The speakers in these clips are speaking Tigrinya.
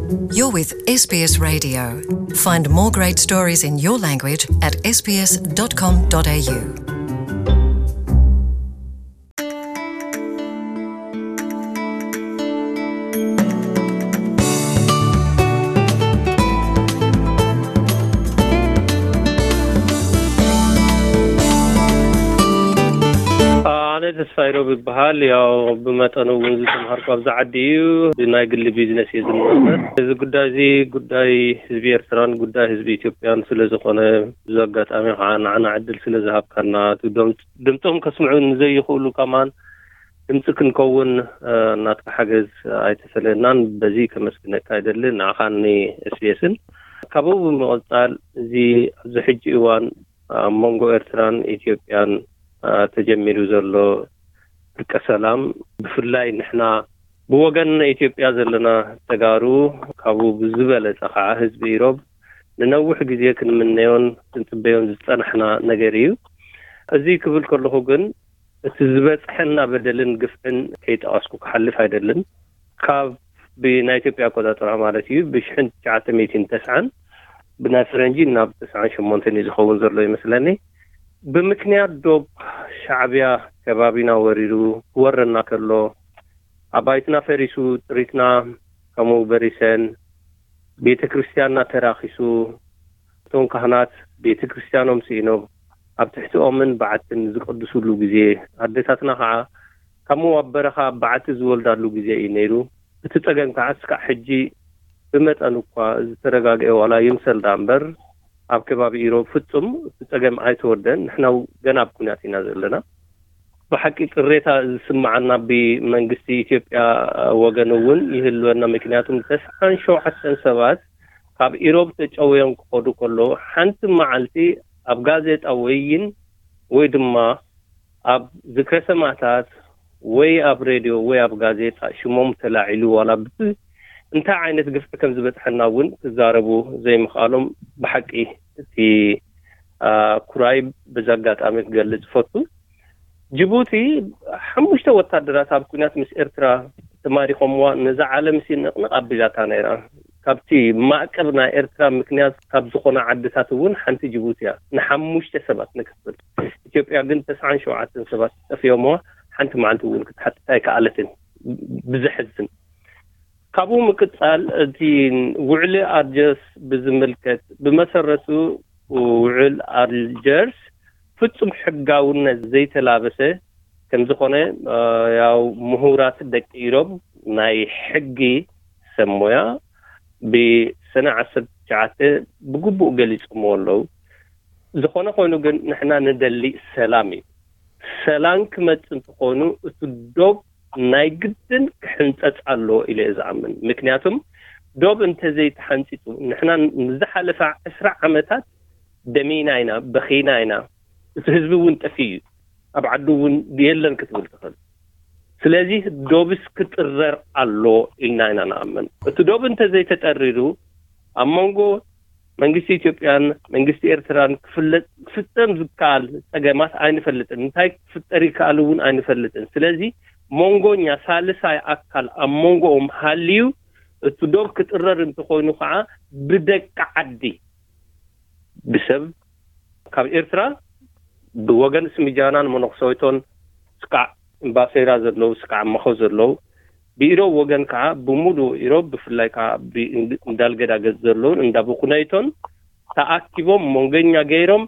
You're with S B S Radio. Find more great stories in your language at S B S dot com dot A U. ኣነ ተስፋ ይሮብ ይበሃል። ያው ብመጠኑ እውን ዝተምሃርኩ ኣብዚ ዓዲ እዩ። ብናይ ግሊ ቢዝነስ እየ ዝመርመር። እዚ ጉዳይ እዚ ጉዳይ ህዝቢ ኤርትራን ጉዳይ ህዝቢ ኢትዮጵያን ስለ ዝኾነ፣ እዚ ኣጋጣሚ ከዓ ንዓና ዕድል ስለ ዝሃብካና፣ እቲ ድም-፣ ድምፆም ከስምዑ ንዘይኽእሉ ከማን ድምፂ ክንከውን፣ እ፣ ናትካ ሓገዝ ኣይተፈለየናን። በዚ ከመስግነካ ይደሊ፣ ንዓኻን ን ኤስ ቢ ኤስን። ካብኡ ብምቕፃል፣ እዚ ኣብዚ ሕጂ እዋን ኣብ መንጎ ኤርትራን ኢትዮጵያን፣ እ፣ ተጀሚሩ ዘሎ ዕርቀ ሰላም፣ ብፍላይ ንሕና ብወገን ኢትዮጵያ ዘለና ተጋሩ ካብኡ ብዝበለጸ ከዓ ህዝቢ ኢሮብ ንነዊሕ ግዜ ክንምነዮን ክንጽበዮን ዝጸናሕና ነገር እዩ። እዚ ክብል ከለኹ ግን እቲ ዝበጽሐና በደልን ግፍዕን ከይጠቐስኩ ክሓልፍ ኣይደልን። ካብ ብናይ ኢትዮጵያ ኣቆጻጽራ ማለት እዩ ብሽሕን ትሽዓተ ሚእትን ተስዓን ብናይ ፈረንጂ ናብ ተስዓን ሸሞንተን እዩ ዝኸውን ዘሎ ይመስለኒ። ብምክንያት ዶብ ሻዕብያ ከባቢና ወሪሩ ክወረና ከሎ ኣባይትና ፈሪሱ ጥሪትና ከምኡ በሪሰን ቤተ ክርስቲያንና ተራኺሱ እቶም ካህናት ቤተ ክርስቲያኖም ስኢኖም ኣብ ትሕቲ ኦምን በዓትን ዝቀድሱሉ ግዜ ኣደታትና ከዓ ካብ ሞዋብ በረኻ በዓቲ ዝወልዳሉ ግዜ እዩ ነይሩ። እቲ ጸገም ከዓ እስካዕ ሕጂ ብመጠን እኳ ዝተረጋግአ ዋላ ይምሰል ደኣ እምበር ኣብ ከባቢ ኢሮብ ፍጹም እቲ ጸገም ኣይተወደን። ንሕና ገና ኣብ ኩናት ኢና ዘለና። ብሓቂ ቅሬታ ዝስምዓና ብመንግስቲ ኢትዮጵያ ወገን እውን ይህልወና። ምክንያቱም ተስዓን ሸውዓተን ሰባት ካብ ኢሮብ ተጨውዮም ክኸዱ ከለዉ ሓንቲ መዓልቲ ኣብ ጋዜጣ ወይን ወይ ድማ ኣብ ዝክረ ሰማእታት ወይ ኣብ ሬድዮ ወይ ኣብ ጋዜጣ ሽሞም ተላዒሉ ዋላ ብ-፣ እንታይ ዓይነት ግፍዒ ከም ዝበጽሐና እውን ክዛረቡ ዘይምኽኣሎም ብሓቂ እቲ፣ አ፣ ኩራይ በዚ ኣጋጣሚ ክገልጽ እፈቱ። ጅቡቲ ሓሙሽተ ወታደራት ኣብ ኲናት ምስ ኤርትራ ተማሪኾምዋ ነዛ ዓለም ሲ ንቕንቕ ኣቢላታ ነይራ። ካብቲ ማዕቀብ ናይ ኤርትራ ምክንያት ካብ ዝኾና ዓድታት እውን ሓንቲ ጅቡቲ እያ። ንሓሙሽተ ሰባት ንክፍል። ኢትዮጵያ ግን ተስዓን ሸውዓተን ሰባት ጠፊኦምዋ ሓንቲ መዓልቲ እውን ክትሓትት ኣይከኣለትን። ብዘሕዝን። ካብኡ ምቅጻል እቲ ውዕሊ ኣልጀርስ ብዝምልከት ብመሰረቱ ውዕል ኣልጀርስ ፍጹም ሕጋውነት ዘይተላበሰ ከም ዝኾነ፣ እ፣ ያው ምሁራት ደቂ ኢሮብ ናይ ሕጊ ሰብ ሞያ ብሰነ ዓሰርተ ትሽዓተ ብግቡእ ገሊጾምዎ ኣለዉ። ዝኾነ ኮይኑ ግን ንሕና ንደሊ ሰላም እዩ። ሰላም ክመጽእ እንተኾይኑ እቲ ዶብ ናይ ግድን ክሕንጸጽ ኣለዎ ኢለ እየ ዝኣምን። ምክንያቱም ዶብ እንተዘይተሓንጺጹ ንሕና ንዝሓለፈ ዕስራ ዓመታት ደሚና ኢና፣ በኺና ኢና። እቲ ህዝቢ እውን ጠፊኡ እዩ። ኣብ ዓዱ እውን የለን ክትብል ትኽእል። ስለዚ ዶብስ ክጥረር ኣሎ ኢልና ኢና ንኣምን። እቲ ዶብ እንተዘይተጠሪሩ ኣብ መንጎ መንግስቲ ኢትዮጵያን መንግስቲ ኤርትራን ክፍለጥ፣ ክፍጸም ዝከኣል ጸገማት ኣይንፈልጥን። እንታይ ክፍጠር ይከኣል እውን ኣይንፈልጥን። ስለዚ መንጎኛ ሳልሳይ ኣካል ኣብ መንጎኦም ሃልዩ እቲ ዶብ ክጥረር እንተኾይኑ ከዓ ብደቂ ዓዲ፣ ብሰብ ካብ ኤርትራ ብወገን ስምጃናን መነኩሰይቶን ስካዕ እምባሴራ ዘለዉ ስካዕ መኸ ዘለዉ ብኢሮብ ወገን ከዓ ብሙሉእ ኢሮብ ብፍላይ ከዓ ብእንድ-፣ እንዳልገዳገጽ ዘለዉን እንዳብኹነይቶን ተኣኪቦም መንገኛ ገይሮም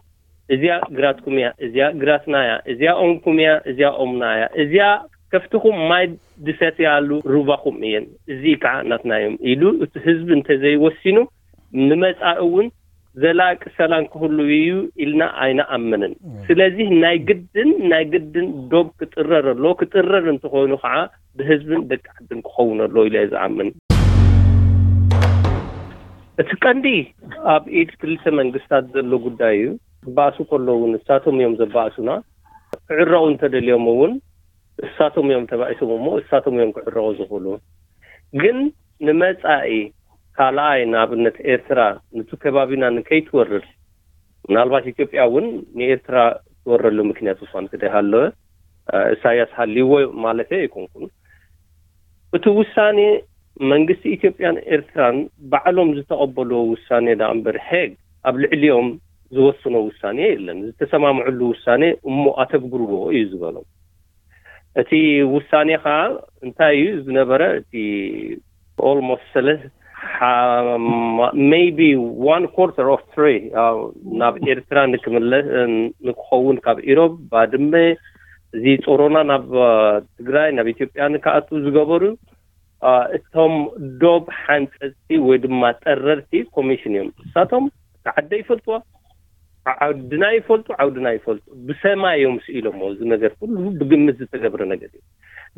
እዚኣ ግራትኩም እያ፣ እዚኣ ግራትና እያ፣ እዚኣ ኦምኩም እያ፣ እዚኣ ኦምና እያ፣ እዚኣ ከፍትኹም ማይ ድሰትያሉ ሩባኹም እየን፣ እዚ ከዓ ናትና እዮም ኢሉ እቲ ህዝቢ እንተዘይወሲኑ ንመጻኢ እውን ዘላቂ ሰላም ክህሉ እዩ ኢልና ኣይንኣምንን። እም። ስለዚህ ናይ ግድን፣ ናይ ግድን ዶብ ክጥረር ኣሎ። ክጥረር እንተኾይኑ ከዓ ብህዝብን ደቂ ዓድን ክኸውን ኣሎ ኢለ እየ ዝኣምን። እቲ ቀንዲ ኣብ ኢድ ክልተ መንግስታት ዘሎ ጉዳይ እዩ። ክበኣሱ ከለዉ እውን ንሳቶም እዮም ዘባእሱና። ክዕረቑ እንተደልዮም እውን እሳቶም እዮም ተባኢሶም እሞ እሳቶም እዮም ክዕረቑ ዝኽእሉ። ግን ንመጻኢ ካልኣይ ንኣብነት ኤርትራ ነቲ ከባቢና ንከይትወርር፣ ምናልባት ኢትዮጵያ እውን ንኤርትራ ትወረሉ ምክንያት እኳ እንተደይሃለወ፣ እ፣ እሳያስ ሃልይዎ ማለተይ ኣይኮንኩን። እቲ ውሳኔ መንግስቲ ኢትዮጵያን ኤርትራን ባዕሎም ዝተቐበልዎ ውሳኔ ደኣ እምበር ሄግ ኣብ ልዕሊኦም ዝወስኖ ውሳኔ የለን። ዝተሰማምዕሉ ውሳኔ እሞ ኣተግብርዎ እዩ ዝበሎም። እቲ ውሳኔ ከዓ እንታይ እዩ ዝነበረ? እቲ almost ሰለስተ maybe one quarter of three ናብ ኤርትራ ንክምለስ ንክኸውን ካብ ኢሮብ ባድመ እዚ ጾሮና ናብ ትግራይ ናብ ኢትዮጵያ ንክኣቱ ዝገበሩ እቶም ዶብ ሓንፀፅቲ ወይ ድማ ጠረርቲ ኮሚሽን እዮም። እሳቶም ዓደ ይፈልጥዋ፣ ዓድና ይፈልጡ፣ ዓውድና ይፈልጡ። ብሰማይ እዮም ስኢሎሞ። እዚ ነገር ኩሉ ብግምት ዝተገብረ ነገር እዩ።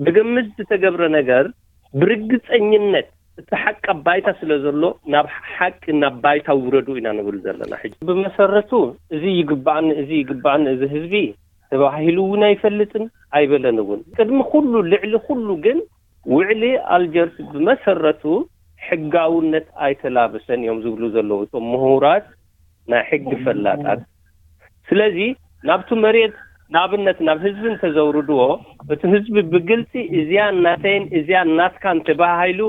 ብግምት ዝተገብረ ነገር ብርግፀኝነት እቲ ሓቂ ኣብ ባይታ ስለ ዘሎ ናብ ሓቂ ናብ ባይታ ውረዱ ኢና ንብል ዘለና። ሕጂ ብመሰረቱ እዚ ይግባእኒ፣ እዚ ይግባእኒ፣ እዚ ህዝቢ ተባሂሉ እውን ኣይፈልጥን ኣይበለን እውን። ቅድሚ ኩሉ ልዕሊ ኩሉ ግን ውዕሊ ኣልጀርስ ብመሰረቱ ሕጋውነት ኣይተላበሰን እዮም ዝብሉ ዘለዉ እቶም ምሁራት ናይ ሕጊ ፈላጣት። ስለዚ ናብቲ መሬት ንኣብነት ናብ ህዝቢ እንተዘውርድዎ እቲ ህዝቢ ብግልፂ እዚኣ ናተይን እዚኣ ናትካን ተባሃሂሉ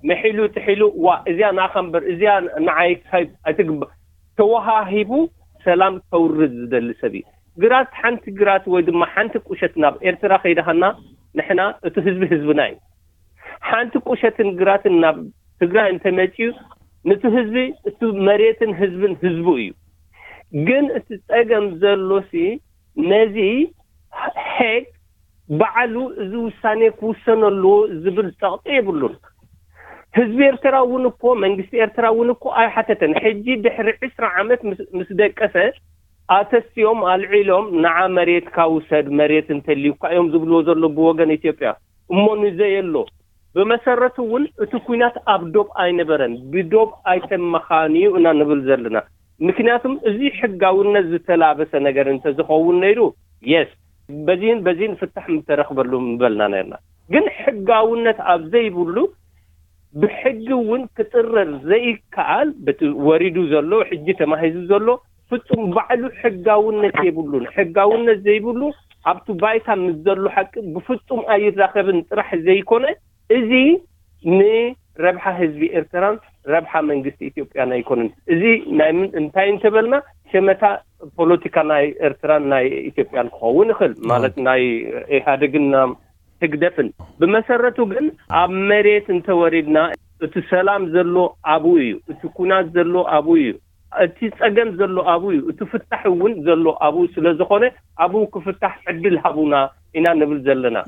መሒሉ ትሒሉ ዋ እዚኣ ንኣኻ እምበር እዚኣ ንዓይ ኣይትግባእ ተወሃሂቡ ሰላም ከውርድ ዝደሊ ሰብ እዩ። ግራት ሓንቲ ግራት ወይ ድማ ሓንቲ ቁሸት ናብ ኤርትራ ከይደሃና ንሕና እቲ ህዝቢ ህዝብና እዩ። ሓንቲ ቁሸትን ግራትን ናብ ትግራይ እንተመፅዩ ንቲ ህዝቢ እቲ መሬትን ህዝብን ህዝቡ እዩ። ግን እቲ ፀገም ዘሎሲ ነዚ ሄግ ባዕሉ እዚ ውሳኔ ክውሰነሉ ዝብል ፀቕጢ የብሉን። ህዝቢ ኤርትራ እውን እኮ መንግስቲ ኤርትራ እውን እኮ ኣይሓተተን። ሕጂ ድሕሪ ዕስራ ዓመት ምስ ደቀሰ ኣተስዮም ኣልዒሎም ንዓ መሬትካ ውሰድ መሬት እንተልዩካ እዮም ዝብልዎ ዘሎ ብወገን ኢትዮጵያ እሞ ንዘየሎ ብመሰረቱ እውን እቲ ኩናት ኣብ ዶብ ኣይነበረን። ብዶብ ኣይተመኻንዩ እና ንብል ዘለና። ምክንያቱም እዚ ሕጋውነት ዝተላበሰ ነገር እንተዝኸውን ነይሩ የስ በዚህን በዚህን ፍታሕ ምተረኽበሉ ምበልና ነርና። ግን ሕጋውነት ኣብ ዘይብሉ ብሕጊ እውን ክጥረር ዘይከኣል በቲ ወሪዱ ዘሎ ሕጂ ተማሂዙ ዘሎ ፍጹም ባዕሉ ሕጋውነት የብሉን። ሕጋውነት ዘይብሉ ኣብቲ ባይታ ምስ ዘሎ ሓቂ ብፍጹም ኣይራኸብን ጥራሕ ዘይኮነ እዚ ንረብሓ ህዝቢ ኤርትራን ረብሓ መንግስቲ ኢትዮጵያን ኣይኮነን። እዚ ናይ ምን እንታይ እንተበልና ሸመታ ፖለቲካ ናይ ኤርትራን ናይ ኢትዮጵያን ክኸውን ይኽእል ማለት ናይ ኢህኣደግን ህግደፍን። ብመሰረቱ ግን ኣብ መሬት እንተወሪድና እቲ ሰላም ዘሎ ኣብኡ እዩ፣ እቲ ኩናት ዘሎ ኣብኡ እዩ፣ እቲ ፀገም ዘሎ ኣብኡ እዩ፣ እቲ ፍታሕ እውን ዘሎ ኣብኡ ስለ ዝኾነ ኣብኡ ክፍታሕ ዕድል ሃቡና ኢና ንብል ዘለና።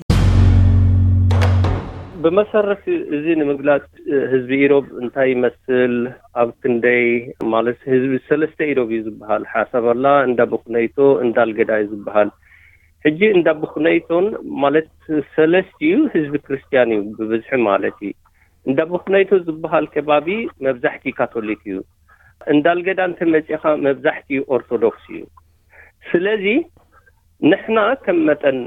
ብመሰረት እዚ ንምግላፅ ህዝቢ ኢሮብ እንታይ ይመስል ኣብ ክንደይ ማለት ህዝቢ ሰለስተ ኢሮብ እዩ ዝበሃል ሓሳብ ኣላ እንዳ ብኩነይቶ እንዳልገዳ እዩ ዝበሃል። ሕጂ እንዳ ብኩነይቶን ማለት ሰለስቲኡ ህዝቢ ክርስትያን እዩ ብብዝሒ ማለት እዩ። እንዳ ብኩነይቶ ዝበሃል ከባቢ መብዛሕቲ ካቶሊክ እዩ። እንዳልገዳ እንተመፂኻ መብዛሕቲኡ ኦርቶዶክስ እዩ። ስለዚ ንሕና ከም መጠን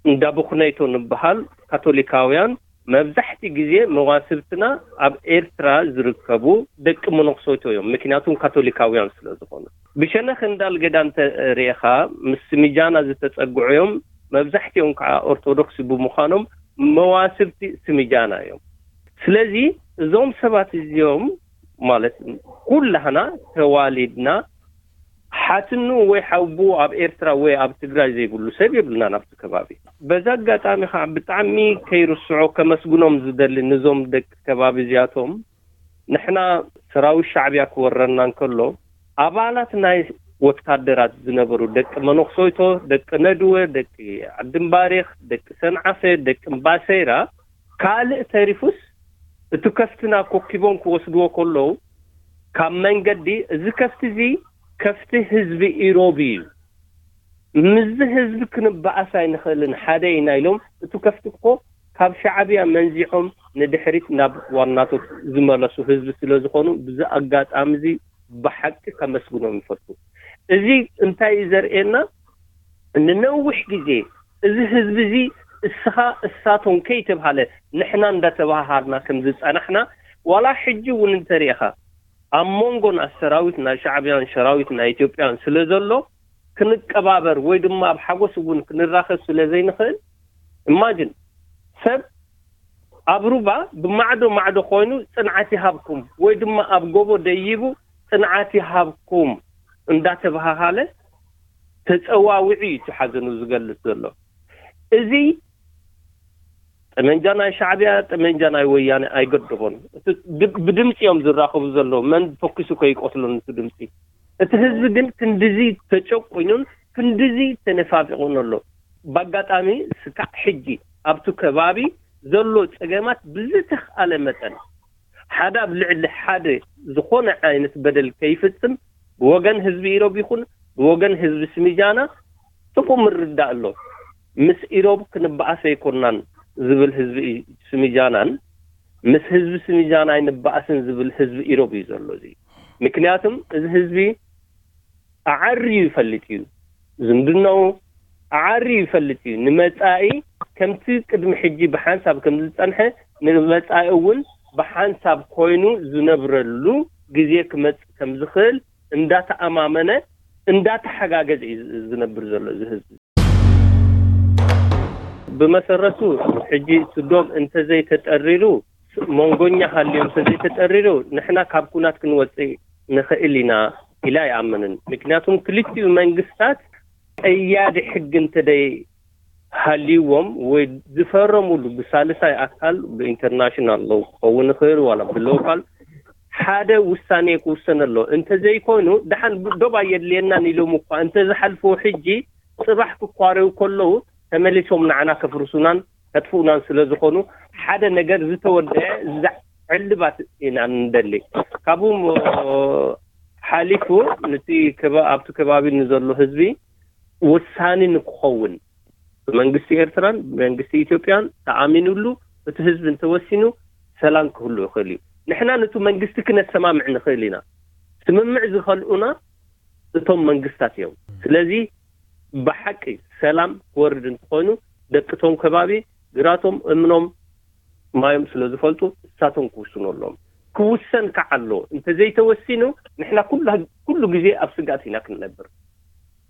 እንዳ ብኩነይቶ ንበሃል ካቶሊካውያን መብዛሕቲ ግዜ መዋስብትና ኣብ ኤርትራ ዝርከቡ ደቂ መነኩሰይቶ እዮም። ምክንያቱም ካቶሊካውያን ስለ ዝኾኑ ብሸነኽ እንዳልገዳ እንተ ርኢኻ ምስ ስሚጃና ዝተጸግዑ እዮም። መብዛሕቲኦም ከዓ ኦርቶዶክስ ብምዃኖም መዋስብቲ ስሚጃና እዮም። ስለዚ እዞም ሰባት እዚኦም ማለት ኩላህና ተዋሊድና ሓትኑ ወይ ሓውቡ ኣብ ኤርትራ ወይ ኣብ ትግራይ ዘይብሉ ሰብ የብልና ናብቲ ከባቢ። በዛ ኣጋጣሚ ከዓ ብጣዕሚ ከይርስዖ ከመስግኖም ዝደሊ ንዞም ደቂ ከባቢ እዚኣቶም ንሕና ሰራዊት ሻዕብያ ክወረና እንከሎ ኣባላት ናይ ወታደራት ዝነበሩ ደቂ መነኩሰይቶ፣ ደቂ ነድወ፣ ደቂ ዓዲ እምባሬኽ፣ ደቂ ሰንዓፈ፣ ደቂ እምባሰይራ ካልእ ተሪፉስ እቲ ከፍትና ኮኪቦም ክወስድዎ ከለዉ ካብ መንገዲ እዚ ከፍቲ እዚ ከፍቲ ህዝቢ ኢሮብ እዩ፣ ምስዚ ህዝቢ ክንበኣስ ኣይንኽእልን ሓደ ኢና ኢሎም እቲ ከፍቲ እኮ ካብ ሻዕብያ መንዚዖም ንድሕሪት ናብ ዋናቶት ዝመለሱ ህዝቢ ስለ ዝኾኑ ብዚ ኣጋጣሚ እዚ ብሓቂ ከመስግኖም ይፈቱ። እዚ እንታይ እዩ ዘርእየና? ንነዊሕ ግዜ እዚ ህዝቢ እዚ እስኻ እሳቶም ከይተብሃለ ንሕና እንዳተባሃሃርና ከም ዝጸናሕና ዋላ ሕጂ እውን እንተሪእኻ ኣብ መንጎ ናይ ሰራዊት ናይ ሻዕብያን ሰራዊት ናይ ኢትዮጵያን ስለ ዘሎ ክንቀባበር ወይ ድማ ኣብ ሓጎስ እውን ክንራኸብ ስለ ዘይንኽእል ኢማጅን ሰብ ኣብ ሩባ ብማዕዶ ማዕዶ ኮይኑ ጽንዓት ይሃብኩም ወይ ድማ ኣብ ጎቦ ደይቡ ጽንዓት ይሃብኩም እንዳተባሃሃለ ተጸዋዊዑ እዩ እቲ ሓዘኑ ዝገልጽ ዘሎ። እዚ ጠመንጃ ናይ ሻዕብያ፣ ጠመንጃ ናይ ወያነ ኣይገድቦን። እቲ ድ-፣ ብድምፂ እዮም ዝራኸቡ ዘለዉ። መን ተኩሱ ከይቆትሎን እቲ ድምፂ። እቲ ህዝቢ ግን ክንድዚ ተጨቁኑን ክንድዚ ተነፋፊቑን ኣሎ። ብኣጋጣሚ ስካዕ ሕጂ ኣብቲ ከባቢ ዘሎ ፀገማት ብዝተኽኣለ መጠን ሓደ ኣብ ልዕሊ ሓደ ዝኾነ ዓይነት በደል ከይፍፅም ብወገን ህዝቢ ኢሮብ ይኹን ብወገን ህዝቢ ስሚጃና ጥፉእ ምርዳእ ኣሎ። ምስ ኢሮብ ክንበኣስ ኣይኮናን ዝብል ህዝቢ ስሚጃናን ምስ ህዝቢ ስሚጃና ኣይንበኣስን ዝብል ህዝቢ ኢሮብ እዩ ዘሎ። እዚ ምክንያቱም እዚ ህዝቢ ኣዓርዩ ይፈልጥ እዩ። ዝምድናኡ ኣዓርዩ ይፈልጥ እዩ። ንመጻኢ ከምቲ ቅድሚ ሕጂ ብሓንሳብ ከም ዝጸንሐ ንመጻኢ እውን ብሓንሳብ ኮይኑ ዝነብረሉ ግዜ ክመጽእ ከም ዝኽእል እንዳተኣማመነ እንዳተሓጋገዘ እዩ ዝነብር ዘሎ እዚ ህዝቢ። ብመሰረቱ ሕጂ እቲ ዶብ እንተዘይተጠሪሩ፣ መንጎኛ ሃልዩ እንተዘይተጠሪሩ ንሕና ካብ ኩናት ክንወፅእ ንኽእል ኢና ኢለ ኣይኣምንን። ምክንያቱም ክልቲኡ መንግስታት ቀያዲ ሕጊ እንተደይ ሃልይዎም ወይ ዝፈረሙሉ ብሳልሳይ ኣካል ብኢንተርናሽናል ሎው ክኸውን ይኽእል ዋላ ብሎካል ሓደ ውሳኔ ክውሰን ኣሎ። እንተዘይኮይኑ ደሓን ዶብ ኣየድልየናን ኢሎም እኳ እንተዝሓልፍዎ ሕጂ ጽባሕ ክኳረዩ ከለዉ ተመሊሶም ንዓና ከፍርሱናን ከጥፍኡናን ስለ ዝኾኑ ሓደ ነገር ዝተወደአ ዘ-፣ ዕልባት ኢና ንደሊ። ካብኡ ሓሊፉ ንቲ ከባ-፣ ኣብቲ ከባቢ ንዘሎ ህዝቢ ውሳኔ ንክኸውን ብመንግስቲ ኤርትራን ብመንግስቲ ኢትዮጵያን ተኣሚኑሉ እቲ ህዝቢ እንተወሲኑ ሰላም ክህሉ ይኽእል እዩ። ንሕና ነቱ መንግስቲ ክነሰማምዕ ንኽእል ኢና። ስምምዕ ዝኸልኡና እቶም መንግስታት እዮም። ስለዚ ብሓቂ ሰላም ክወርድ እንተኾይኑ ደቅቶም ከባቢ ግራቶም እምኖም ማዮም ስለ ዝፈልጡ እሳቶም ክውስኑ ኣለዎም። ክውሰን ከዓ ኣሎ። እንተዘይተወሲኑ ንሕና ኩሉ፣ ኩሉ ግዜ ኣብ ስጋት ኢና ክንነብር።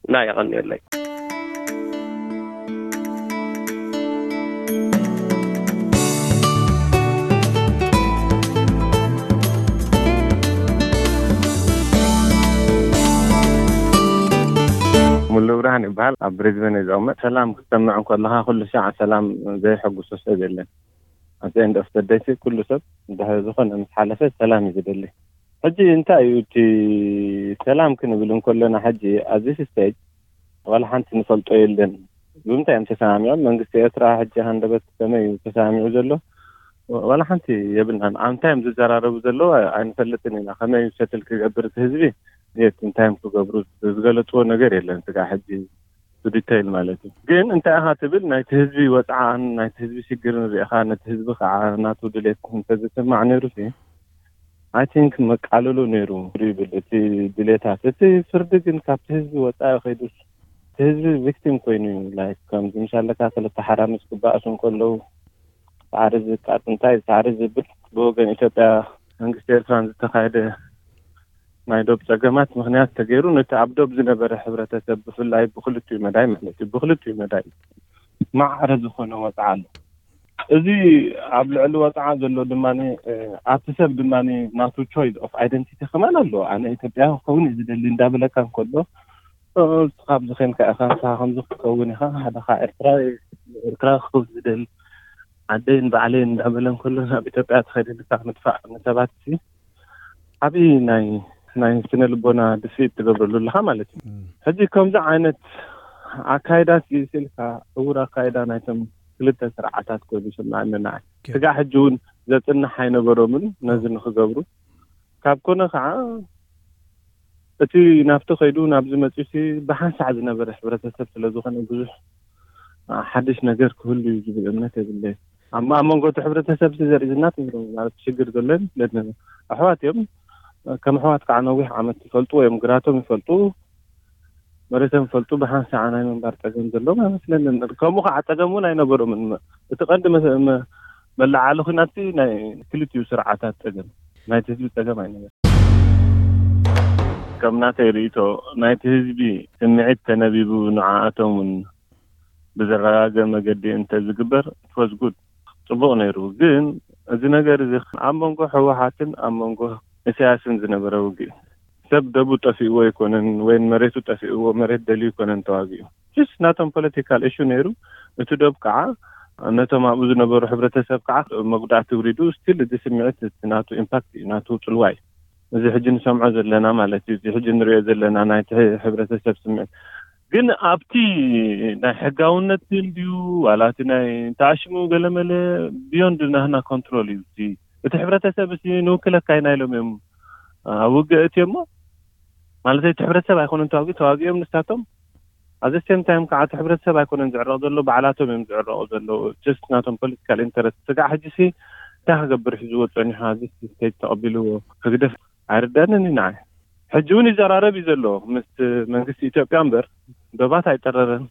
እና የቐንየለይ። ሙሉ ብርሃን ይበሃል። ኣብ ብሪዝበን እየ ዝቕመጥ። ሰላም ክትሰምዕ እንከለኻ ኩሉ ሻዕ ሰላም ዘየሐጉሶ ሰብ የለን። ኣብ ኤንድ ኦፍ ደይ ኩሉ ሰብ እንድሕር ዝኾነ ምስ ሓለፈ ሰላም እዩ ዝደሊ። ሕጂ እንታይ እዩ እቲ ሰላም ክንብል እንከለና ሕጂ ኣብዚ ስቴጅ ዋላ ሓንቲ ንፈልጦ የለን። ብምንታይ እዮም ተሰማሚዖም? መንግስቲ ኤርትራ ሕጂ ሃንደበት ከመይ እዩ ተሰማሚዑ ዘሎ? ዋላ ሓንቲ የብልናን። ኣብ እንታይ እዮም ዝዘራረቡ ዘለዉ ኣይንፈልጥን ኢና። ከመይ እዩ ሰትል ክገብር እቲ ህዝቢ? የት እንታይ እዮም ክገብሩ? ዝገለፅዎ ነገር የለን። ስጋዕ ሕጂ ብዲተይል ማለት እዩ። ግን እንታይ ኢኻ ትብል ናይቲ ህዝቢ ወፅዓን ናይቲ ህዝቢ ሽግርን ሪእኻ ነቲ ህዝቢ ከዓ ናቱ ድሌት እንተዝስማዕ ነይሩ ሲ ኣይ ቲንክ መቃለሎ ነይሩ ይብል እቲ ድሌታት። እቲ ፍርዲ ግን ካብቲ ህዝቢ ወፃኢ ከይዱስ እቲ ህዝቢ ቪክቲም ኮይኑ እዩ። ላይክ ከምዚ ምሻለካ ክልተ ሓራምዝ ክበኣሱ እንከለዉ ሳዕሪ ዝቃጥ እንታይ ሳዕሪ ዝብል ብወገን ኢትዮጵያ መንግስቲ ኤርትራን ዝተኻየደ ናይ ዶብ ጸገማት ምኽንያት ተገይሩ ነቲ ኣብ ዶብ ዝነበረ ሕብረተሰብ ብፍላይ ብክልቲኡ መዳይ ማለት እዩ ብክልቲኡ መዳይ ማዕረ ዝኾነ ወጽዓ ኣሎ። እዚ ኣብ ልዕሊ ወጽዓ ዘሎ ድማ ኣብቲ ሰብ ድማ ናቱ ቾይስ ኦፍ ኣይደንቲቲ ከማን ኣሎ። ኣነ ኢትዮጵያ ክኸውን እዩ ዝደሊ እንዳበለካ እንከሎ ንስኻ ኣብዚ ኸንካ ኢኻ ንስኻ ከምዚ ክትከውን ኢኻ ሓደኻ ኤርትራ ኤርትራ ክኸውን ዝደሊ ዓደይን ባዕለይን እንዳበለ እንከሎ ናብ ኢትዮጵያ ተኸደ ንስኻ ምጥፋእ ንሰባት ሲ ዓብዪ ናይ ናይ ስነ ልቦና ድፍኢት ትገብረሉ ኣለኻ ማለት እዩ። ሕጂ ከምዚ ዓይነት ኣካይዳ ስኢልካ ዕውር ኣካይዳ ናይቶም ክልተ ስርዓታት ኮይኑ ይስምዓኒ ንዓይ። ስጋዕ ሕጂ እውን ዘጽንሕ ኣይነበሮምን ነዚ ንክገብሩ። ካብ ኮነ ከዓ እቲ ናብቲ ከይዱ ናብዚ መጺኡሲ ብሓንሳዕ ዝነበረ ሕብረተሰብ ስለ ዝኾነ ብዙሕ ሓድሽ ነገር ክህሉ እዩ ዝብል እምነት የብለይን። ኣብ ኣብ መንጎ እቲ ሕብረተሰብ ሲ ዘርኢ ዝናት ማለት ሽግር ዘሎ ይመስለኒ። ኣሕዋት እዮም ከም ኣሕዋት ከዓ ነዊሕ ዓመት ይፈልጡ እዮም ግራቶም ይፈልጡ መሬቶም ይፈልጡ ብሓንሳዕ ናይ ምንባር ፀገም ዘለዎም ኣይመስለንን። ከምኡ ከዓ ፀገም እውን ኣይነበሮምን። እቲ ቀንዲ መ- መ- መለዓሊ ኩናት ሲ ናይ ክልቲኡ ስርዓታት ፀገም ናይቲ ህዝቢ ፀገም ኣይነበረን። ከም ናተይ ርእይቶ ናይቲ ህዝቢ ስምዒት ተነቢቡ ንዓኣቶም እውን ብዘረጋግእ መገዲ እንተዝግበር it was good። ጽቡቕ ነይሩ። ግን እዚ ነገር እዚ ኣብ መንጎ ህወሓትን ኣብ መንጎ ኢሳያስን ዝነበረ ውግእ፣ ሰብ ደቡ ጠፊእዎ ኣይኮነን፣ ወይን መሬቱ ጠፊእዎ፣ መሬት ደልዩ ኣይኮነን ተዋጊኡ። ስ ናቶም ፖለቲካል እሹ ነይሩ። እቲ ደብ ከዓ ነቶም ኣብኡ ዝነበሩ ሕብረተሰብ ከዓ መጉዳእቲ ውሪዱ፣ ስቲል እዚ ስምዒት ናቱ ኢምፓክት እዩ፣ ናቱ ጽልዋ እዩ። እዚ ሕጂ ንሰምዖ ዘለና ማለት እዩ፣ እዚ ሕጂ ንሪኦ ዘለና ናይ ሕብረተሰብ ስምዒት። ግን ኣብቲ ናይ ሕጋውነት እንድዩ ዋላ እቲ ናይ ተኣሽሙ ገለመለ፣ ቢዮንድ ናህና ኮንትሮል እዩ። እቲ ሕብረተሰብ እ ንውክለካ ኢና ኢሎም እዮም ኣብ ውግእ እትዮ እሞ፣ ማለት እቲ ሕብረተሰብ ኣይኮነን ተዋጊ ተዋጊኦም ንሳቶም። ኣብ ሴም ታይም ከዓ እቲ ሕብረተሰብ ኣይኮነን ዝዕረቕ ዘሎ፣ ባዕላቶም እዮም ዝዕረቑ ዘለዉ። ጀስት ናቶም ፖለቲካል ኢንተረስት። ስጋዕ ሕጂ ሲ እንታይ ክገብር ሒዝዎ ጸኒሑ? እዚ ስቴት ተቐቢልዎ ህግደፍ ኣይርዳንን እዩ ንዓይ። ሕጂ እውን ይዘራረብ እዩ ዘሎ ምስ መንግስቲ ኢትዮጵያ እምበር፣ ዶባት ኣይጠረረን፣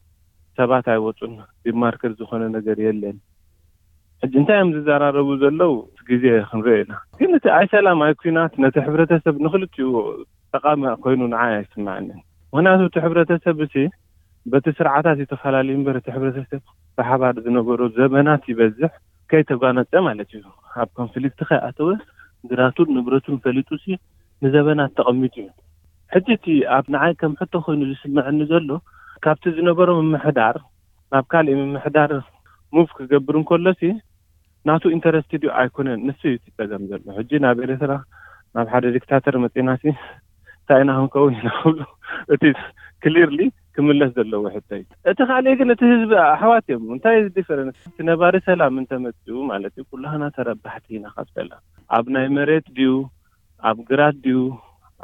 ሰባት ኣይወፁን፣ ዲማርከር ዝኾነ ነገር የለን። ሕጂ እንታይ እዮም ዝዘራረቡ ዘለዉ? ግዜ ክንሪኦ ኢና። ግን እቲ ኣይ ሰላም ኣይ ኩናት ነቲ ሕብረተሰብ ንክልቲኡ ጠቃሚ ኮይኑ ንዓይ ኣይስማዕንን። ምክንያቱ እቲ ሕብረተሰብ እዚ በቲ ስርዓታት ዝተፈላለዩ እምበር እቲ ሕብረተሰብ ብሓባር ዝነበሮ ዘመናት ይበዝሕ ከይተጓነፀ ማለት እዩ። ኣብ ኮንፍሊክት ከይኣተወ ግራቱን ንብረቱን ፈሊጡ ሲ ንዘበናት ተቐሚጡ እዩ። ሕጂ እቲ ኣብ ንዓይ ከም ሕቶ ኮይኑ ዝስምዐኒ ዘሎ ካብቲ ዝነበሮ ምምሕዳር ናብ ካልእ ምምሕዳር ሙቭ ክገብር እንከሎ ሲ ናቱ ኢንተረስትድ እዩ ኣይኮነን፣ ንሱ እዩ እቲ ጸገም ዘሎ። ሕጂ ናብ ኤርትራ ናብ ሓደ ዲክታተር መጺና ሲ እንታይ ኢና ክንከውን ኢና ክብሉ እቲ ክሊርሊ ክምለስ ዘለዎ ሕቶ እዩ። እቲ ካልእ ግን እቲ ህዝቢ ኣሕዋት እዮም። እንታይ ዲፈረንስ? እቲ ነባሪ ሰላም እንተመጽኡ ማለት እዩ ኩላህና ተረባሕቲ ኢና ካብ ሰላም። ኣብ ናይ መሬት ድዩ ኣብ ግራት ድዩ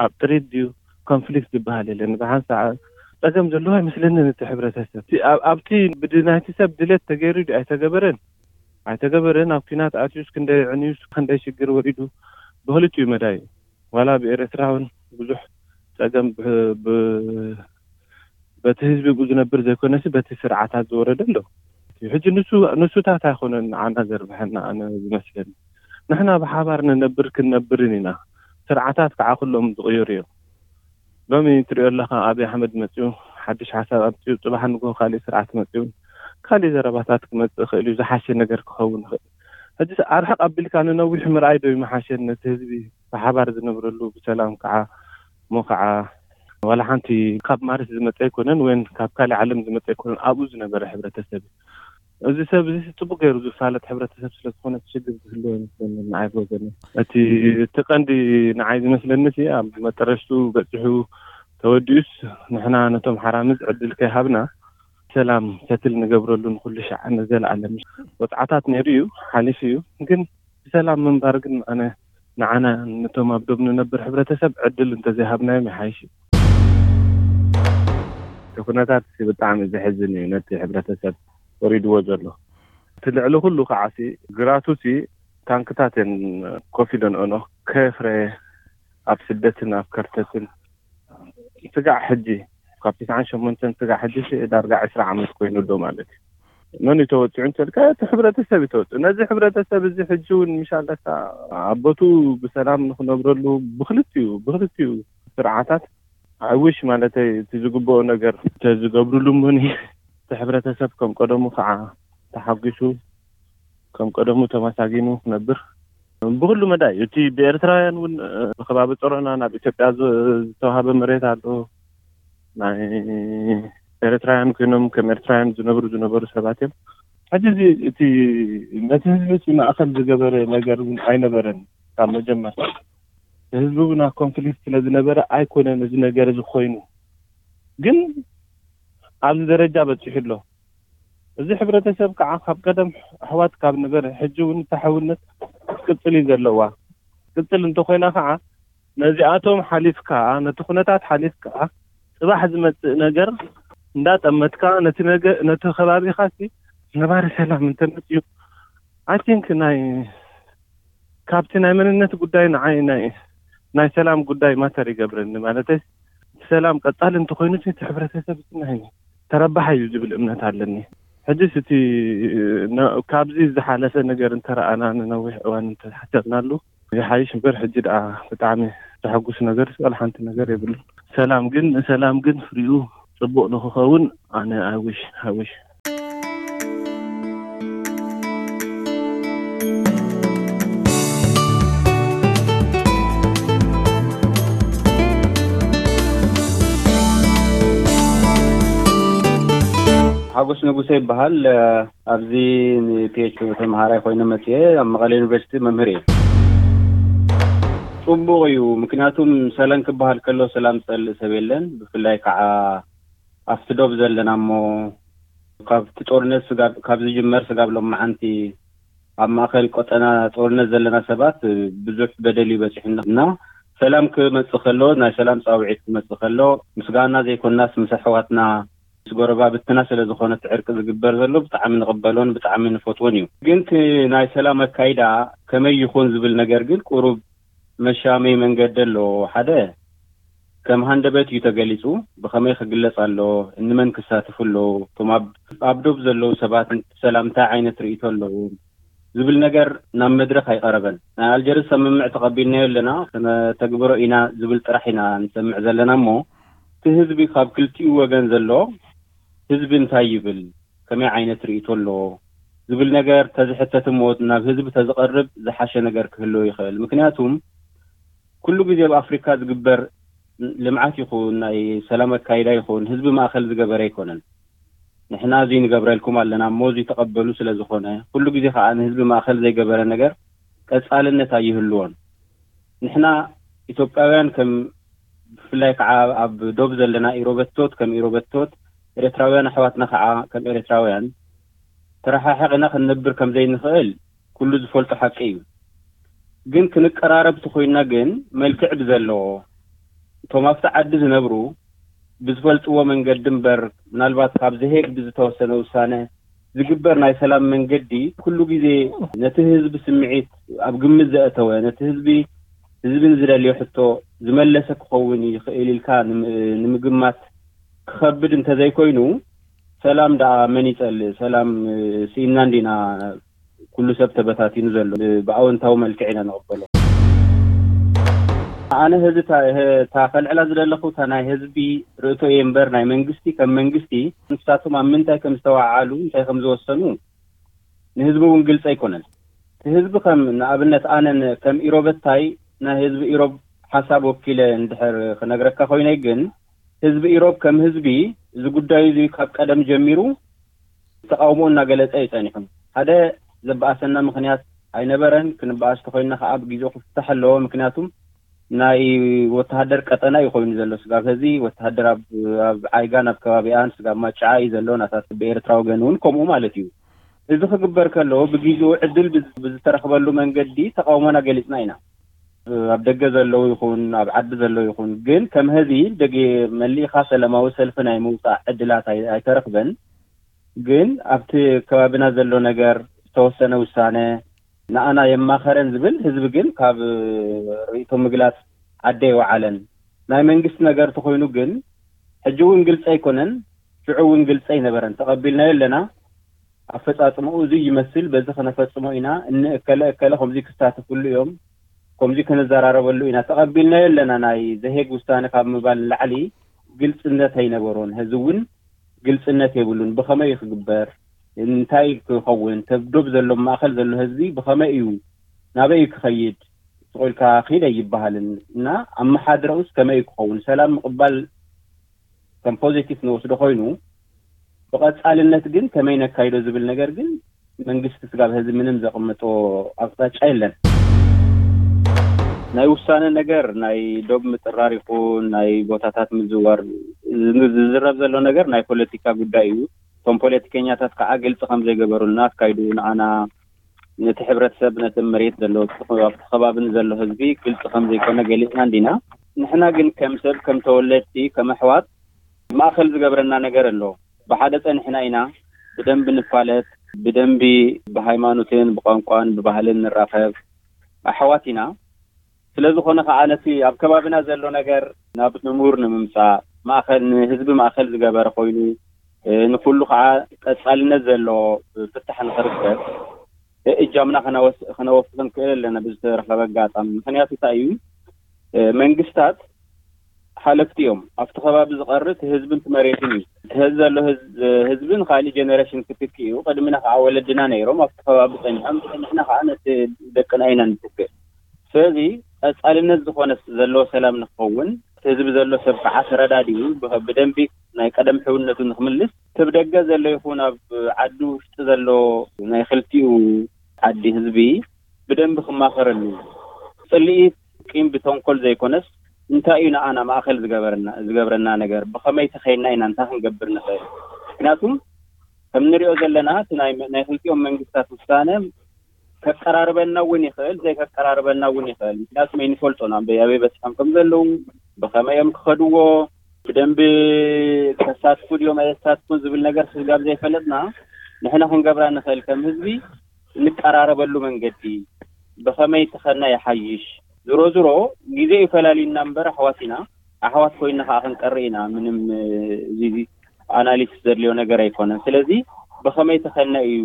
ኣብ ጥሪት ድዩ ኮንፍሊክት ዝበሃል የለን። ብሓንሳእ ጸገም ዘለዎ ኣይመስለንን እቲ ሕብረተሰብ። እቲ ኣብ- ኣብቲ ብድናይቲ ሰብ ድሌት ተገይሩ ድዩ ኣይተገበረን ኣይተገበረን ኣብ ኲናት ኣትዩስ ክንደይ ዕንዩስ ክንደይ ሽግር ወሪዱ ብክልቲኡ መዳይ ዋላ ብኤርትራውን ብዙሕ ጸገም ብ- ብ- በቲ ህዝቢ ብኡ ዝነብር ዘይኮነሲ በቲ ስርዓታት ዝወረደ ኣሎ። ሕጂ ንሱ ንሱታት ኣይኮነን ንዓና ዘርብሐና ኣነ ዝመስለኒ። ንሕና ብሓባር ንነብር ክንነብርን ኢና። ስርዓታት ከዓ ኩሎም ዝቕይሩ እዮም። ሎሚ ትሪኦ ኣለኻ ኣብይ ኣሕመድ መፅኡ ሓድሽ ሓሳብ ኣምፅኡ ፅባሕ ንጎ ካሊእ ስርዓት መፅኡ ካሊእ ዘረባታት ክመፅእ ይኽእል እዩ። ዝሓሸ ነገር ክኸውን ይኽእል። ሕጂ ኣርሕቕ ኣቢልካ ንነዊሕ ምርኣይ ዶ ይመሓሸን ነቲ ህዝቢ ብሓባር ዝነብረሉ ብሰላም ከዓ እሞ ከዓ ዋላ ሓንቲ ካብ ማርስ ዝመፀ ኣይኮነን ወይን ካብ ካልእ ዓለም ዝመፀ ኣይኮነን ኣብኡ ዝነበረ ሕብረተሰብ እዩ። እዚ ሰብ እዚ ጽቡቅ ገይሩ ዝፋለጥ ሕብረተሰብ ስለ ዝኾነ እቲ ሽግር ዝህልዎ ይመስለኒ ንዓይ ብወገነይ። እቲ እቲ ቀንዲ ንዓይ ዝመስለኒ እቲ ኣብ መጠረሽቱ በጺሑ ተወዲኡስ ንሕና ነቶም ሓራምዝ ዕድል ከይሃብና ሰላም ሰትል ንገብረሉ ንኩሉ ሻዕ ንዘለኣለም ወጽዓታት ነይሩ እዩ ሓሊፉ እዩ ግን ብሰላም ምንባር ግን ኣነ ንዓና ነቶም ኣብ ዶብ ንነብር ሕብረተሰብ ዕድል እንተዘይሃብናዮም ይሓይሽ እዩ። እቲ ኩነታት ብጣዕሚ ዘሕዝን እዩ ነቲ ሕብረተሰብ ወሪድዎ ዘሎ። እቲ ልዕሊ ኩሉ ከዓ ሲ ግራቱ ሲ ታንክታት እየን ኮፍ ኢለን ኦኖ ከፍረ ኣብ ስደትን ኣብ ከርተትን ስጋዕ ሕጂ ካብ ትስዓን ሸሞንተን ስጋዕ ሕጂ ሲ ዳርጋ ዕስራ ዓመት ኮይኑ ኣሎ ማለት እዩ። መን እዩ ተወፂዑ እንተልካ እቲ ሕብረተሰብ እዩ ተወፂዑ። ነዚ ሕብረተሰብ እዚ ሕጂ እውን ምሻለካ ኣቦቱ ብሰላም ንክነብረሉ ብክልቲኡ ብክልቲኡ ስርዓታት ኣይውሽ ማለተይ እቲ ዝግብኦ ነገር ተዝገብሩሉ እሞኒ እቲ ሕብረተሰብ ከም ቀደሙ ከዓ ተሓጒሱ ከም ቀደሙ ተመሳጊኑ ክነብር ብኩሉ መዳይ እዩ። እቲ ብኤርትራውያን እውን ብከባቢ ጸሮና ናብ ኢትዮጵያ ዝተዋሃበ መሬት ኣሎ። ናይ ኤርትራውያን ኮይኖም ከም ኤርትራውያን ዝነብሩ ዝነበሩ ሰባት እዮም። ሕጂ እዚ እቲ ነቲ ህዝቢ እቲ ማእከል ዝገበረ ነገር እውን ኣይነበረን ካብ መጀመርታ። ህዝቢ እውን ኣብ ኮንፍሊክት ስለ ዝነበረ ኣይኮነን እዚ ነገር እዚ ኮይኑ ግን ኣብዚ ደረጃ በፂሑ ኣሎ። እዚ ሕብረተሰብ ከዓ ካብ ቀደም ኣሕዋት ካብ ነበረ ሕጂ እውን ተሓውነት ክትቅፅል እዩ ዘለዋ። ክትቅፅል እንተኮይና ከዓ ነዚኣቶም ሓሊፍካ ነቲ ኩነታት ሓሊፍካ ፅባሕ ዝመፅእ ነገር እንዳጠመትካ ነቲ ነገ ነቲ ከባቢካ ሲ ነባሪ ሰላም እንተመፅዩ ኣይ ቲንክ ናይ ካብቲ ናይ መንነት ጉዳይ ንዓይ ናይ ናይ ሰላም ጉዳይ ማተር ይገብረኒ ማለተይ እቲ ሰላም ቀፃሊ እንተኮይኑ እቲ ሕብረተሰብ ናይ ተረባሓ እዩ ዝብል እምነት ኣለኒ። ሕጅስ እቲ ካብዚ ዝሓለፈ ነገር እንተረኣና ንነዊሕ እዋን እንተሓሰብናሉ ይሓይሽ እምበር ሕጂ ደኣ ብጣዕሚ ዘሐጉስ ነገር ዋላ ሓንቲ ነገር የብሉን። ሰላም ግን ሰላም ግን ፍሪኡ ፅቡቕ ንክኸውን ኣነ ኣይ ዊሽ ኣይ ዊሽ ሓጎስ ንጉሰ ይበሃል። ኣብዚ ንፒኤች ተምሃራይ ኮይነ መፅኤ ኣብ መቐለ ዩኒቨርሲቲ መምህር እየ። ፅቡቕ እዩ። ምክንያቱም ሰላም ክበሃል ከሎ ሰላም ዝፀልእ ሰብ የለን። ብፍላይ ከዓ ኣብቲ ዶብ ዘለና እሞ ካብቲ ጦርነት ስጋብ ካብ ዝጅመር ስጋብ ሎማዓንቲ ኣብ ማእከል ቆጠና ጦርነት ዘለና ሰባት ብዙሕ በደል እዩ በፂሑና እና ሰላም ክመፅእ ከሎ ናይ ሰላም ፃውዒት ክመፅእ ከሎ ምስጋና ዘይኮናስ ምስ ኣሕዋትና ምስ ጎረባብትና ስለ ዝኾነ እቲ ዕርቂ ዝግበር ዘሎ ብጣዕሚ ንቕበሎን ብጣዕሚ ንፈትዎን እዩ። ግን እቲ ናይ ሰላም ኣካይዳ ከመይ ይኹን ዝብል ነገር ግን ቁሩብ መሻመይ መንገዲ ኣሎ። ሓደ ከም ሃንደበት እዩ ተገሊጹ። ብኸመይ ክግለጽ ኣሎ? እንመን ክሳትፉ ኣለዉ? እቶም ኣብ ኣብ ዶብ ዘለዉ ሰባት ሰላም እንታይ ዓይነት ርእይቶ ኣለዎም? ዝብል ነገር ናብ መድረኽ ኣይቐረበን። ናይ ኣልጀርስ ስምምዕ ተቐቢልናዮ ኣለና፣ ክነተግብሮ ኢና ዝብል ጥራሕ ኢና ንሰምዕ ዘለና እሞ፣ እቲ ህዝቢ ካብ ክልቲኡ ወገን ዘሎ ህዝቢ እንታይ ይብል፣ ከመይ ዓይነት ርእይቶ ኣለዎ ዝብል ነገር ተዝሕተት እሞ ናብ ህዝቢ ተዝቐርብ ዝሓሸ ነገር ክህልዎ ይኽእል። ምክንያቱም ኩሉ ግዜ ኣብ ኣፍሪካ ዝግበር ልምዓት ይኹን ናይ ሰላም ኣካይዳ ይኹን ህዝቢ ማእኸል ዝገበረ ኣይኮነን። ንሕና እዚ ንገብረልኩም ኣለና እሞ እዚ ተቐበሉ ስለ ዝኾነ ኩሉ ግዜ ከዓ ንህዝቢ ማእኸል ዘይገበረ ነገር ቀፃልነት ኣይህልዎን። ንሕና ኢትዮጵያውያን ከም ብፍላይ ከዓ ኣብ ዶብ ዘለና ኢሮበቶት ከም ኢሮበቶት ኤርትራውያን ኣሕዋትና ከዓ ከም ኤርትራውያን ተረሓሒቕና ክንነብር ከም ዘይንኽእል ኩሉ ዝፈልጦ ሓቂ እዩ። ግን ክንቀራረብ ተኾይንና ግን መልክዕ ብዘለዎ እቶም ኣብቲ ዓዲ ዝነብሩ ብዝፈልጥዎ መንገዲ እምበር ምናልባት ካብ ዘሄግ ብዝተወሰነ ውሳነ ዝግበር ናይ ሰላም መንገዲ ኩሉ ግዜ ነቲ ህዝቢ ስምዒት ኣብ ግምት ዘእተወ ነቲ ህዝቢ ህዝቢ ንዝደልዮ ሕቶ ዝመለሰ ክኸውን ይኽእል ኢልካ ንምግማት ክኸብድ እንተዘይኮይኑ ሰላም ደኣ መን ይጸልእ? ሰላም ስኢንና እንዲና ኩሉ ሰብ ተበታቲኑ ዘሎ ብኣወንታዊ መልክዕ ኢና ንቕበሎ። ኣነ ህዚ እታ ከልዕላ ዝደለኹ እታ ናይ ህዝቢ ርእቶ እየ እምበር ናይ መንግስቲ ከም መንግስቲ ንሳቶም ኣብ ምንታይ ከም ዝተዋዓሉ እንታይ ከም ዝወሰኑ ንህዝቢ እውን ግልፂ ኣይኮነን። እቲ ህዝቢ ከም ንኣብነት ኣነ ከም ኢሮበታይ ናይ ህዝቢ ኢሮብ ሓሳብ ወኪለ እንድሕር ክነግረካ ኮይነይ ግን ህዝቢ ኢሮብ ከም ህዝቢ እዚ ጉዳዩ እዚ ካብ ቀደም ጀሚሩ ተቃውሞ እናገለጸ እዩ ጸኒሑ። ሓደ ዘበኣሰና ምኽንያት ኣይነበረን። ክንበኣስ ተኮይንና ከዓ ብግዜኡ ክፍታሕ ኣለዎ። ምክንያቱም ናይ ወተሃደር ቀጠና እዩ ኮይኑ ዘሎ። ስጋብ ሕዚ ወተሃደር ኣብ ዓይጋን ኣብ ከባቢኣን ስጋብ ማጫዓ እዩ ዘሎ። ናታት ብኤርትራ ወገን እውን ከምኡ ማለት እዩ። እዚ ክግበር ከለዎ ብግዜኡ ዕድል ብዝተረኽበሉ መንገዲ ተቃውሞና ገሊጽና ኢና። ኣብ ደገ ዘለዉ ይኹን ኣብ ዓዲ ዘለዉ ይኹን ግን ከም ሕዚ ደገ መሊእኻ ሰላማዊ ሰልፊ ናይ ምውፃእ ዕድላት ኣይተረኽበን። ግን ኣብቲ ከባቢና ዘሎ ነገር ዝተወሰነ ውሳነ ንኣና የማኸረን ዝብል ህዝቢ ግን ካብ ርእይቶ ምግላፅ ዓዲ ኣይወዓለን። ናይ መንግስቲ ነገር ተኾይኑ ግን ሕጂ እውን ግልፂ ኣይኮነን፣ ሽዑ እውን ግልፂ ኣይነበረን። ተቐቢልናዮ ኣለና። ኣፈፃፅምኡ እዚ ይመስል፣ በዚ ክነፈፅሞ ኢና፣ እኒ እከለ እከለ ከምዚ ክሳተፍሉ እዮም፣ ከምዚ ክንዘራረበሉ ኢና፣ ተቐቢልናዮ ኣለና ናይ ዘሄግ ውሳነ ካብ ምባል ንላዕሊ ግልፅነት ኣይነበሮን። ሕዚ እውን ግልፅነት የብሉን። ብኸመይ እዩ ክግበር? እንታይ ክኸውን? ተብዶብ ዘሎ ማእኸል ዘሎ ህዝቢ ብኸመይ እዩ ናበይ እዩ ክኸይድ? ስቕ ኢልካ ኺድ ኣይበሃልን እና ኣመሓድረኡስ ከመይ እዩ ክኸውን? ሰላም ምቕባል ከም ፖዚቲቭ ንወስዶ ኮይኑ ብቐፃልነት ግን ከመይ ነካይዶ ዝብል ነገር ግን መንግስቲ ስጋብ ህዚ ምንም ዘቕምጦ ኣቕጣጫ የለን። ናይ ውሳነ ነገር ናይ ዶብ ምጥራር ይኹን ናይ ቦታታት ምዝዋር ዝዝረብ ዘሎ ነገር ናይ ፖለቲካ ጉዳይ እዩ። እቶም ፖለቲከኛታት ከዓ ግልፂ ከም ዘይገበሩልና ኣካይዱ ንዓና ነቲ ሕብረተሰብ ነቲ መሬት ዘሎ ኣብቲ ከባቢ ንዘሎ ህዝቢ ግልፂ ከም ዘይኮነ ገሊፅና እንዲና። ንሕና ግን ከም ሰብ ከም ተወለድቲ ከም ኣሕዋት ማእኸል ዝገብረና ነገር ኣሎ። ብሓደ ፀኒሕና ኢና ብደንቢ ንፋለጥ፣ ብደንቢ ብሃይማኖትን ብቋንቋን ብባህልን ንራኸብ ኣሕዋት ኢና። ስለዝኾነ ከዓ ነቲ ኣብ ከባቢና ዘሎ ነገር ናብ ንሙር ንምምፃእ ማእኸል ንህዝቢ ማእኸል ዝገበረ ኮይኑ ንኩሉ ከዓ ቀፃልነት ዘለዎ ፍታሕ ንክርከብ እጃምና ክነወፍር ንክእል ኣለና ብዝተረኸበ ኣጋጣሚ። ምክንያቱ እንታይ እዩ? መንግስታት ሓለፍቲ እዮም። ኣብቲ ከባቢ ዝቐሪ እቲ ህዝብን እቲ መሬትን እዩ። እቲ ህዚ ዘሎ ህዝብን ካሊእ ጀነሬሽን ክትክ እዩ። ቅድሚና ከዓ ወለድና ነይሮም ኣብቲ ከባቢ ፀኒሖም። ንሕና ከዓ ነቲ ደቅና ኢና ንትክእ። ስለዚ ቀፃልነት ዝኾነ ዘለዎ ሰላም ንክኸውን ህዝቢ ዘሎ ሰብ ከዓ ተረዳዲኡ ብደንቢ ናይ ቀደም ሕውነቱ ንክምልስ፣ ሰብ ደገ ዘሎ ይኹን ኣብ ዓዲ ውሽጢ ዘሎ ናይ ክልቲኡ ዓዲ ህዝቢ ብደንቢ ክማኸረሉ፣ ፅልኢት ቂም ብተንኮል ዘይኮነስ እንታይ እዩ ንኣና ማእኸል ዝገበረና ዝገብረና ነገር፣ ብኸመይ ተኸይና ኢና እንታይ ክንገብር ንኽእል? ምክንያቱም ከም ንሪኦ ዘለና እቲ ናይ ክልቲኦም መንግስታት ውሳነ ከቀራርበና እውን ይኽእል፣ ዘይከቀራርበና እውን ይኽእል። ምክንያቱም ኣይንፈልጦን ኣበይ ኣበይ በፂሖም ከም ዘለዉ፣ ብኸመይ እዮም ክኸድዎ፣ ብደንቢ ከሳትፉ ድዮም ኣየሳትፉን ዝብል ነገር ስጋብ ዘይፈለጥና፣ ንሕና ክንገብራ ንኽእል ከም ህዝቢ እንቀራረበሉ መንገዲ ብኸመይ ተኸና ይሓይሽ። ዝሮ ዝሮ ግዜ እዩ ፈላልዩና እምበር ኣሕዋት ኢና። ኣሕዋት ኮይና ከዓ ክንቀሪ ኢና። ምንም እዚ ኣናሊስ ዘድልዮ ነገር ኣይኮነን። ስለዚ ብኸመይ ተኸና እዩ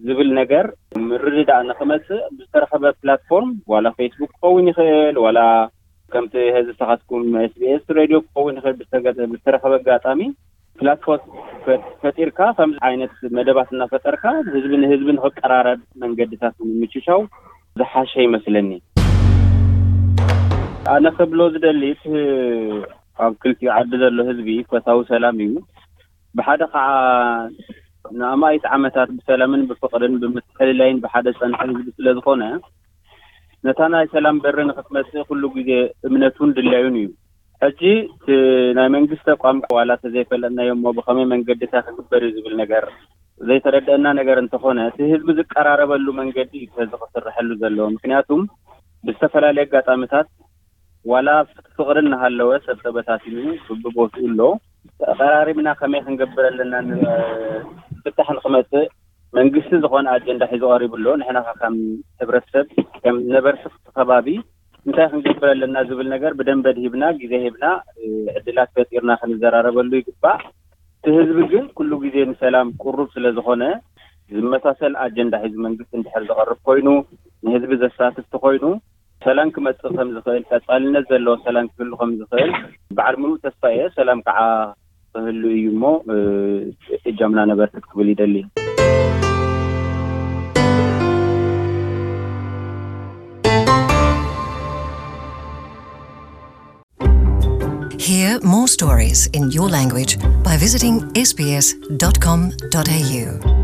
ዝብል ነገር ምርድዳእ ንክመፅእ ብዝተረኸበ ፕላትፎርም፣ ዋላ ፌስቡክ ክኸውን ይኽእል፣ ዋላ ከምቲ ህዚ ንስኻትኩም ኤስቢኤስ ሬድዮ ክኸውን ይኽእል፣ ብዝተረኸበ ኣጋጣሚ ፕላትፎርም ፈጢርካ ከምዚ ዓይነት መደባት እናፈጠርካ ህዝቢ ንህዝቢ ንክቀራረብ መንገድታት ንምችቻው ዝሓሸ ይመስለኒ። ኣነ ክብሎ ዝደሊ እቲ ኣብ ክልቲኡ ዓዲ ዘሎ ህዝቢ ፈታዊ ሰላም እዩ። ብሓደ ከዓ ንኣማኢት ዓመታት ብሰላምን ብፍቕርን ብምትሕልላይን ብሓደ ዝፀንሐ ህዝቢ ስለ ዝኾነ፣ ነታ ናይ ሰላም በሪ ንክትመፅእ ኩሉ ግዜ እምነቱን ድላዩን እዩ። ሕጂ እቲ ናይ መንግስቲ ኣቋም ዋላ ተዘይፈለጥናዮ እሞ ብኸመይ መንገዲ እንታይ ክግበር እዩ ዝብል ነገር ዘይተረደአና ነገር እንተኾነ፣ እቲ ህዝቢ ዝቀራረበሉ መንገዲ እዩ ሕዚ ክስርሐሉ ዘለዎ። ምክንያቱም ብዝተፈላለየ ኣጋጣሚታት ዋላ ፍቕሪ እናሃለወ ሰብ ተበታቲኑ ብቦትኡ ኣሎ። ተቐራሪብና ከመይ ክንገብር ኣለና ን-፣ ፍታሕ ንክመፅእ መንግስቲ ዝኾነ ኣጀንዳ ሒዙ ቀሪቡ ኣሎ። ንሕና ከ ከም ሕብረተሰብ፣ ከም ነበርቲ እቲ ከባቢ እንታይ ክንገብር ኣለና ዝብል ነገር ብደንበ ድሂብና፣ ግዜ ሂብና፣ እ፣ ዕድላት ፈጢርና ክንዘራረበሉ ይግባእ። እቲ ህዝቢ ግን ኩሉ ግዜ ንሰላም ቅሩብ ስለ ዝኾነ፣ ዝመሳሰል ኣጀንዳ ሒዙ መንግስቲ እንድሕር ዝቐርብ ኮይኑ፣ ንህዝቢ ዘሳትፍ ተኾይኑ፣ ሰላም ክመጽእ ከም ዝኽእል፣ ቀጻልነት ዘለዎ ሰላም ክህሉ ከም ዝኽእል በዓል ምሉእ ተስፋ እየ። ሰላም ከዓ ክህሉ እዩ እሞ፣ እ፣ እጃምና ነበርክት ክብል ይደሊ። Hear more stories in your language by visiting S B S dot com dot A U.